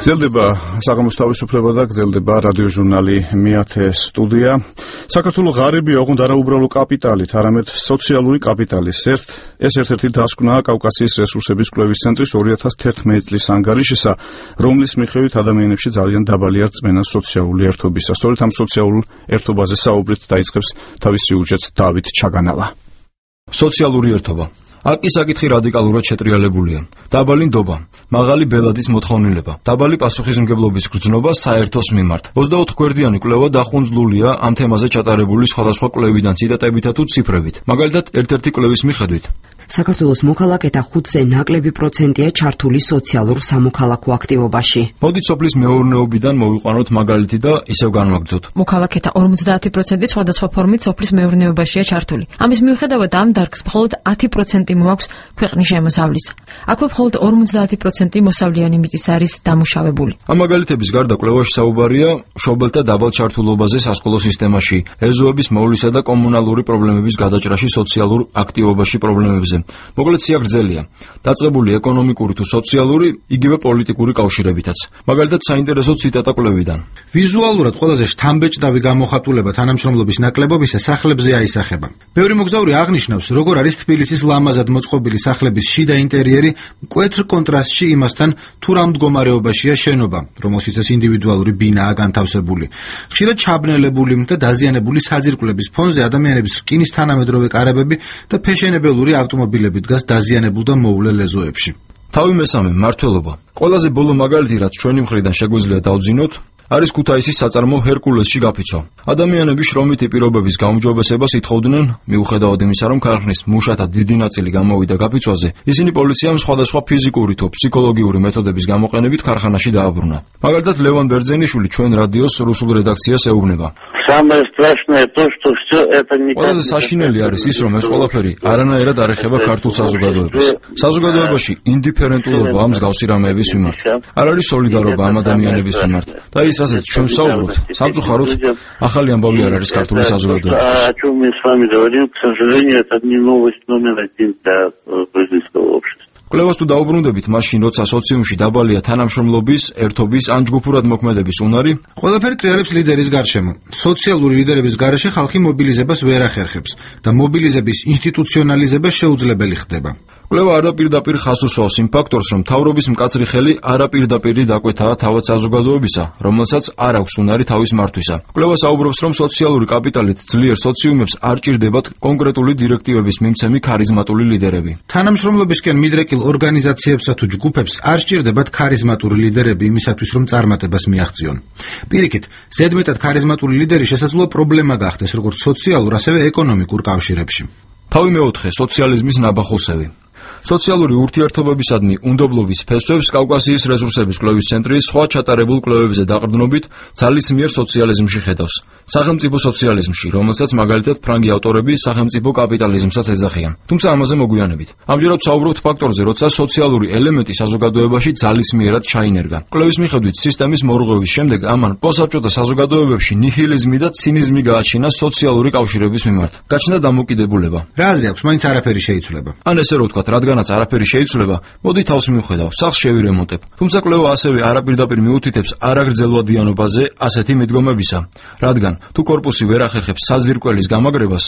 გრძელდება საღამოს თავისუფლება და გრძელდება რადიოჟურნალი მეათე სტუდია. საქართველოს ღარიბი ოღონდ არა უბრალო კაპიტალით, არამედ სოციალური კაპიტალის ეს ერთ-ერთი დასკვნაა კავკასიის რესურსების კვლევის ცენტრის 2011 წლის ანგარიშისა, რომლის მიხედვით ადამიანებში ძალიან დაბალია რწმენა სოციალური ერთობისა. სწორედ ამ სოციალურ ერთობაზე საუბრით დაიწყებს თავის სიუჟეტს დავით ჩაგანალა. სოციალური ერთობა. აქ ის საკითხი რადიკალურად შეტრიალებულია. დაბალი ნდობა, მაღალი ბელადის მოთხოვნილება, დაბალი პასუხისმგებლობის გრძნობა საერთოს მიმართ. 24 გვერდიანი კვლევა დახუნძლულია ამ თემაზე ჩატარებული სხვადასხვა კვლევიდან ციტატებითა თუ ციფრებით. მაგალითად, ერთ-ერთი კვლევის მიხედვით საქართველოს მოქალაქეთა 5-ზე ნაკლები პროცენტია ჩართული სოციალურ სამოქალაქო აქტივობაში. მოდით სოფლის მეურნეობიდან მოვიყვანოთ მაგალითი და ისევ განვაგრძოთ. მოქალაქეთა 50% სხვადასხვა ფორმით სოფლის მეურნეობაშია ჩართული. ამის მიუხედავად ამ დარგს მხოლოდ 10% მოაქვს ქვეყნის შემოსავლის. აქვე მხოლოდ 50% მოსავლიანი მიწის არის დამუშავებული. ამ მაგალითების გარდა კვლევაში საუბარია მშობელთა დაბალ ჩართულობაზე სასკოლო სისტემაში, ეზოების მოვლისა და კომუნალური პრობლემების გადაჭრაში სოციალურ აქტივობაში პრობლემებზე. მოკლედ სიაგრძელია. დაწყებული ეკონომიკური თუ სოციალური, იგივე პოლიტიკური კავშირებითაც. მაგალითად საინტერესო ციტატა კვლევიდან. ვიზუალურად ყველაზე შთამბეჭდავი გამოხატულება თანამშრომლობის ნაკლებობისა სახლებზე აისახება. ბევრი მოგზაური აღნიშნავს, როგორ არის თბილისის ლამაზად მოწყობილი სახლების შიდა ინტერიერი მკვეთრ კონტრასტში იმასთან, თუ რა მდგომარეობაშია შენობა, რომელშიც ეს ინდივიდუალური ბინაა განთავსებული. ხშირად ჩაბნელებული და დაზიანებული საძირკვლების ფონზე ადამიანების რკინის თანამედროვე კარებები და ფეშენებელური ავტომობილები დგას დაზიანებულ და მოვლელ ეზოებში. თავი მესამე, მმართველობა. ყველაზე ბოლო მაგალითი, რაც ჩვენი მხრიდან შეგვიძლია დავძინოთ, არის ქუთაისის საწარმო ჰერკულესში გაფიცვა. ადამიანები შრომითი პირობების გაუმჯობესებას ითხოვდნენ, მიუხედავად იმისა, რომ ქარხნის მუშათა დიდი ნაწილი გამოვიდა გაფიცვაზე, ისინი პოლიციამ სხვადასხვა ფიზიკური თუ ფსიქოლოგიური მეთოდების გამოყენებით ქარხანაში დააბრუნა. მაგალითად, ლევან ბერძენიშვილი ჩვენ რადიოს რუსულ რედაქციას ეუბნება. ყველაზე საშინელი არის ის, რომ ეს ყველაფერი არანაირად არ ეხება ქართულ საზოგადოებას. საზოგადოებაში ინდიფერენტულობა ამ მსგავსი რამეების მიმართ. არ არის სოლიდარობა ამ ადამიანების მიმართ. და ის, რასაც ჩვენ ვსაუბრობთ, სამწუხაროდ ახალი ამბავი არ არის ქართული საზოგადოებისთვის. კვლევას თუ დაუბრუნდებით, მაშინ როცა სოციუმში დაბალია თანამშრომლობის, ერთობის ან ჯგუფურად მოქმედების უნარი, ყველაფერი ტრიალებს ლიდერის გარშემო. სოციალური ლიდერების გარეშე ხალხი მობილიზებას ვერ ახერხებს და მობილიზების ინსტიტუციონალიზება შეუძლებელი ხდება. კვლევა არაპირდაპირ ხაზს უსვავს იმ ფაქტორს, რომ მთავრობის მკაცრი ხელი არაპირდაპირი დაკვეთაა თავად საზოგადოებისა, რომელსაც არ აქვს უნარი თავის მართვისა. კვლევა საუბრობს, რომ სოციალური კაპიტალით ძლიერ სოციუმებს არ ჭირდებათ კონკრეტული დირექტივების მიმცემი ქარიზმატული ლიდერები. თანამშრომლობისკენ მიდრეკილ ორგანიზაციებსა თუ ჯგუფებს არ სჭირდებათ ქარიზმატური ლიდერები იმისათვის, რომ წარმატებას მიაღწიონ. პირიქით, ზედმეტად ქარიზმატული ლიდერი შესაძლოა პრობლემა გახდეს როგორც სოციალურ, ასევე ეკონომიკურ კავშირებში. თავი მეოთხე, სოციალიზმის ნაბახულსევი. სოციალური ურთიერთობებისადმი უნდობლობის ფესვებს კავკასიის რესურსების კვლევის ცენტრი სხვა ჩატარებულ კვლევებზე დაყრდნობით ძალისმიერ სოციალიზმში ხედავს. სახელმწიფო სოციალიზმში, რომელსაც მაგალითად ფრანგი ავტორები სახელმწიფო კაპიტალიზმსაც ეძახიან. თუმცა ამაზე მოგვიანებით. ამჯერად ვსაუბრობთ ფაქტორზე, როცა სოციალური ელემენტი საზოგადოებაში ძალისმიერად ჩაინერგა. კვლევის მიხედვით სისტემის მორღვევის შემდეგ ამან პოსტსაბჭოთა საზოგადოებებში ნიჰილიზმი და ცინიზმი გააჩინა სოციალური კავშირების მიმართ. გაჩნდა დამოკიდებულება. რა აზრი აქვს, მაინც არაფერი შეიცვლება. ან ესე რო ვთქვათ, რადგანაც არაფერი შეიცვლება, მოდი თავს მივხედავ, სახლს შევირემონტებ. თუმცა კვლევა ასევე არაპირდაპირ მიუთითებს არაგრძელვადიანობაზე ასეთი მიდგომებისა. რადგან თუ კორპუსი ვერ ახერხებს საძირკველის გამაგრებას,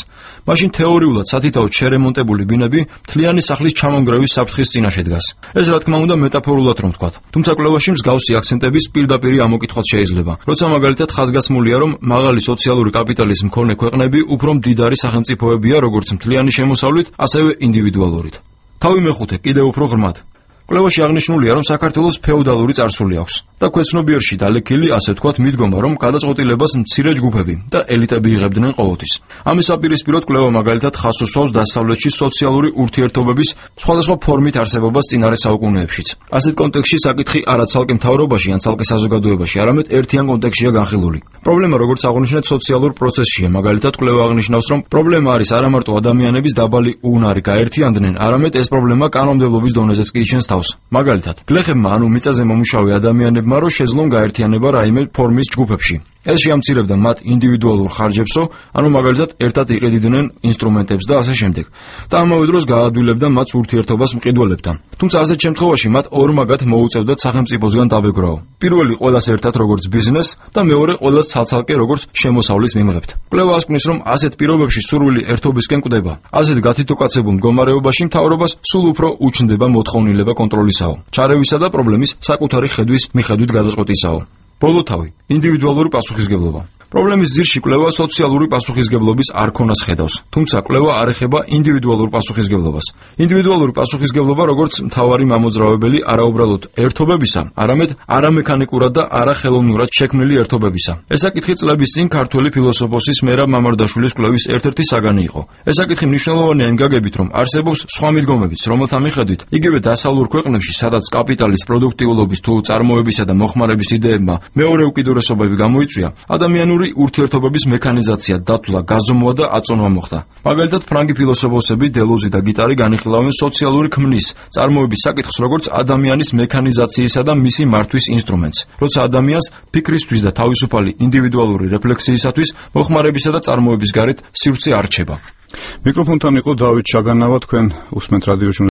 მაშინ თეორიულად სათითაოდ შერემონტებული ბინები მთლიანი სახლის ჩამონგრევის საფრთხის წინაშე დგას. ეს რა თქმა უნდა მეტაფორულად რომ ვთქვათ. თუმცა კვლევაში მსგავსი აქცენტების პირდაპირი ამოკითხვაც შეიძლება. როცა მაგალითად ხაზგასმულია, რომ მაღალი სოციალური კაპიტალის მქონე ქვეყნები უფრო მდიდარი სახელმწიფოებია, როგორც მთლიანი შემოსავლით, ასევე ინდივიდუალურით. თავი მეხუთე, კიდევ უფრო ღრმად. კვლევაში აღნიშნულია, რომ საქართველოს ფეოდალური წარსული აქვს და ქვეცნობიერში დალექილი, ასე ვთქვათ, მიდგომა, რომ გადაწყვეტილებას მცირე ჯგუფები და ელიტები იღებდნენ ყოველთვის. ამის საპირისპიროდ კვლევა მაგალითად ხაზს უსვავს დასავლეთში სოციალური ურთიერთობების სხვადასხვა ფორმით არსებობას წინარე საუკუნეებშიც. ასეთ კონტექსტში საკითხი არა ცალკე მთავრობაში ან ცალკე საზოგადოებაში, არამედ ერთიან კონტექსტშია განხილული. პრობლემა, როგორც აღნიშნეთ, სოციალურ პროცესშია. მაგალითად, კვლევა აღნიშნავს, რომ პრობლემა არის არა მარტო ადამიანების დაბალი უნარი გაერთიანდნენ, არამედ ეს პრობლემა კანონმდებლობის დონეზეც კი იჩენს თავს. მაგალითად, გლეხებმა ანუ მიწაზე მომუშავე ადამიანებმა რო შეძლონ გაერთიანება რაიმე ფორმის ჯგუფებში. ეს შეამცირებდა მათ ინდივიდუალურ ხარჯებსო, ანუ მაგალითად ერთად იყიდნენ ინსტრუმენტებს და ასე შემდეგ. და ამავე დროს გაადვილებდა მათ ურთიერთობას მყიდველებთან. თუმცა ასეთ შემთხვევაში მათ ორმაგად მოუწევდათ სახელმწიფოსგან დაბეჭდაო. პირველი ყველას ერთად როგორც ბიზნეს და მეორე ყველას ცალ-ცალკე როგორც შემოსავლის მიმღებთ. კვლევა ასკვნის, რომ ასეთ პირობებში სურვილი ერთობისკენ კვდება. ასეთ გათითოკაცებულ მდგომარეობაში მთავრობას სულ უფრო უჩნდება მოთხოვნილება კონტროლისაო, ჩარევისა და პრობლემის საკუთარი ხედვის მიხედვით გადაწყვეტისაო. ბოლოთავი, ინდივიდუალური პასუხისგებლობა. პრობლემის ძირში კვლევა სოციალური პასუხისგებლობის არქონას ხედავს, თუმცა კვლევა არ ეხება ინდივიდუალურ პასუხისგებლობას. ინდივიდუალური პასუხისგებლობა როგორც მთავარი მამოძრავებელი არაუბრალოდ ერთობებისა, არამედ არამექანიკურად და არახელოვნურად შექმნილი ერთობებისა. ეს საკითხი წლების წინ ქართველი ფილოსოფოსის მერაბ მამარდაშვილის კვლევის ერთ-ერთი საგანი იყო. ეს საკითხი მნიშვნელოვანია იმ გაგებით, რომ არსებობს სხვა მიდგომებიც, რომელთა მიხედვით იგივე დასავლურ ქვეყნებში, სადაც კაპიტალის პროდუქტიულობის თუ წარმოებისა და მოხმარების იდეებმა მეორე უკიდურესობები გამოიწვია, ადამიანური ურთიერთობების მექანიზაცია, დათვლა, გაზომვა და აწონვა მოხდა. მაგალითად, ფრანგი ფილოსოფოსები დელოზი და გიტარი განიხილავენ სოციალური ქმნის, წარმოების საკითხს როგორც ადამიანის მექანიზაციისა და მისი მართვის ინსტრუმენტს, როცა ადამიანს ფიქრისთვის და თავისუფალი ინდივიდუალური რეფლექსიისათვის მოხმარებისა და წარმოების გარეთ სივრცე არ რჩება. მიკროფონთან იყო დავით ჩაგანავა, თქვენ უსმენთ რადიო